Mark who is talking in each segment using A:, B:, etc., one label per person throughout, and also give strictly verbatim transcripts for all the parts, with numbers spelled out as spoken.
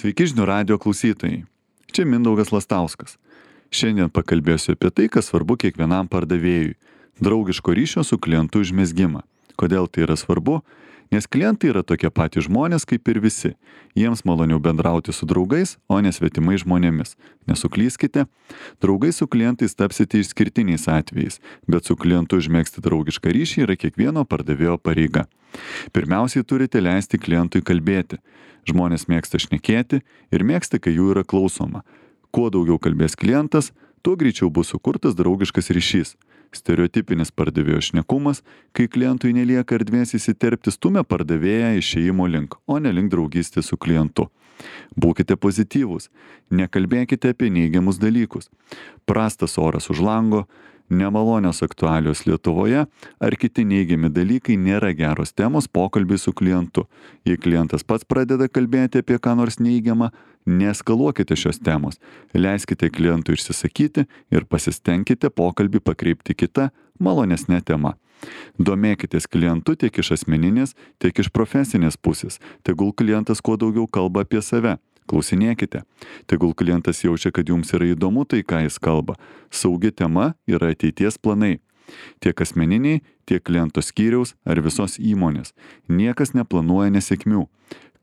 A: Sveiki žinių radijo klausytojai. Čia Mindaugas Lastauskas. Šiandien pakalbėsiu apie tai, kas svarbu kiekvienam pardavėjui - draugiško ryšio su klientu užmezgimą. Kodėl tai yra svarbu? Nes klientai yra tokie patys žmonės kaip ir visi. Jiems maloniau bendrauti su draugais, o ne svetimais žmonėmis. Nesuklyskite, draugai su klientais tapsite išskirtiniais atvejais, bet su klientu užmegzti draugišką ryšį yra kiekvieno pardavėjo pareiga. Pirmiausiai turite leisti klientui kalbėti. Žmonės mėgsta šnekėti ir mėgsta, kai jų yra klausoma. Kuo daugiau kalbės klientas, tuo greičiau bus sukurtas draugiškas ryšys. Stereotipinis pardavėjo šnekumas, kai klientui nelieka erdvės įsiterpti, stumia pardavėją išėjimo link, o ne link draugystės su klientu. Būkite pozityvūs, nekalbėkite apie neigiamus dalykus. Prastas oras už lango, nemalonios aktualios Lietuvoje ar kiti neigiami dalykai nėra geros temos pokalbiai su klientu. Jei klientas pats pradeda kalbėti apie ką nors neigiamą, neeskaluokite šios temos. Leiskite klientui išsisakyti ir pasistengkite pokalbį pakreipti kitą, malonesnę temą. Domėkitės klientu tiek iš asmeninės, tiek iš profesinės pusės. Tegul klientas kuo daugiau kalba apie save. Klausinėkite. Tegul klientas jaučia, kad jums yra įdomu tai, ką jis kalba. Saugi tema yra ateities planai. Tiek asmeniniai, tiek kliento skyriaus ar visos įmonės. Niekas neplanuoja nesėkmių.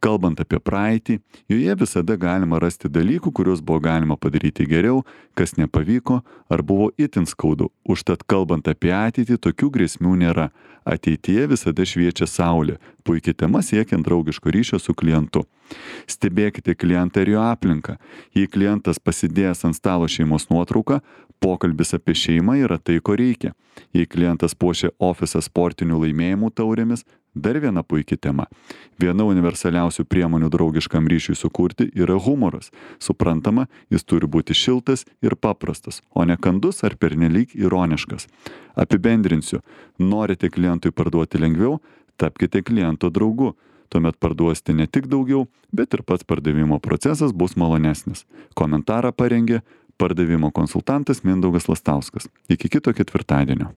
A: Kalbant apie praeitį, joje visada galima rasti dalykų, kuriuos buvo galima padaryti geriau, kas nepavyko ar buvo itin skaudu. Užtat kalbant apie ateitį, tokių grėsmių nėra. Ateityje visada šviečia saulė. Puikia tema siekiant draugiško ryšio su klientu. Stebėkite klientą ir jo aplinką. Jei klientas pasidėjęs ant stalo šeimos nuotrauką, pokalbis apie šeimą yra tai, ko reikia. Jei klientas puošia ofisą sportinių laimėjimų taurėmis, dar viena puikia tema. Viena universaliausių priemonių draugiškam ryšiui sukurti yra humoras. Suprantama, jis turi būti šiltas ir paprastas, o ne kandus ar pernelyg ironiškas. Apibendrinsiu, norite klientui parduoti lengviau, tapkite kliento draugu. Tuomet parduosite ne tik daugiau, bet ir pats pardavimo procesas bus malonesnis. Komentarą parengė pardavimo konsultantas Mindaugas Lastauskas. Iki kito ketvirtadienio.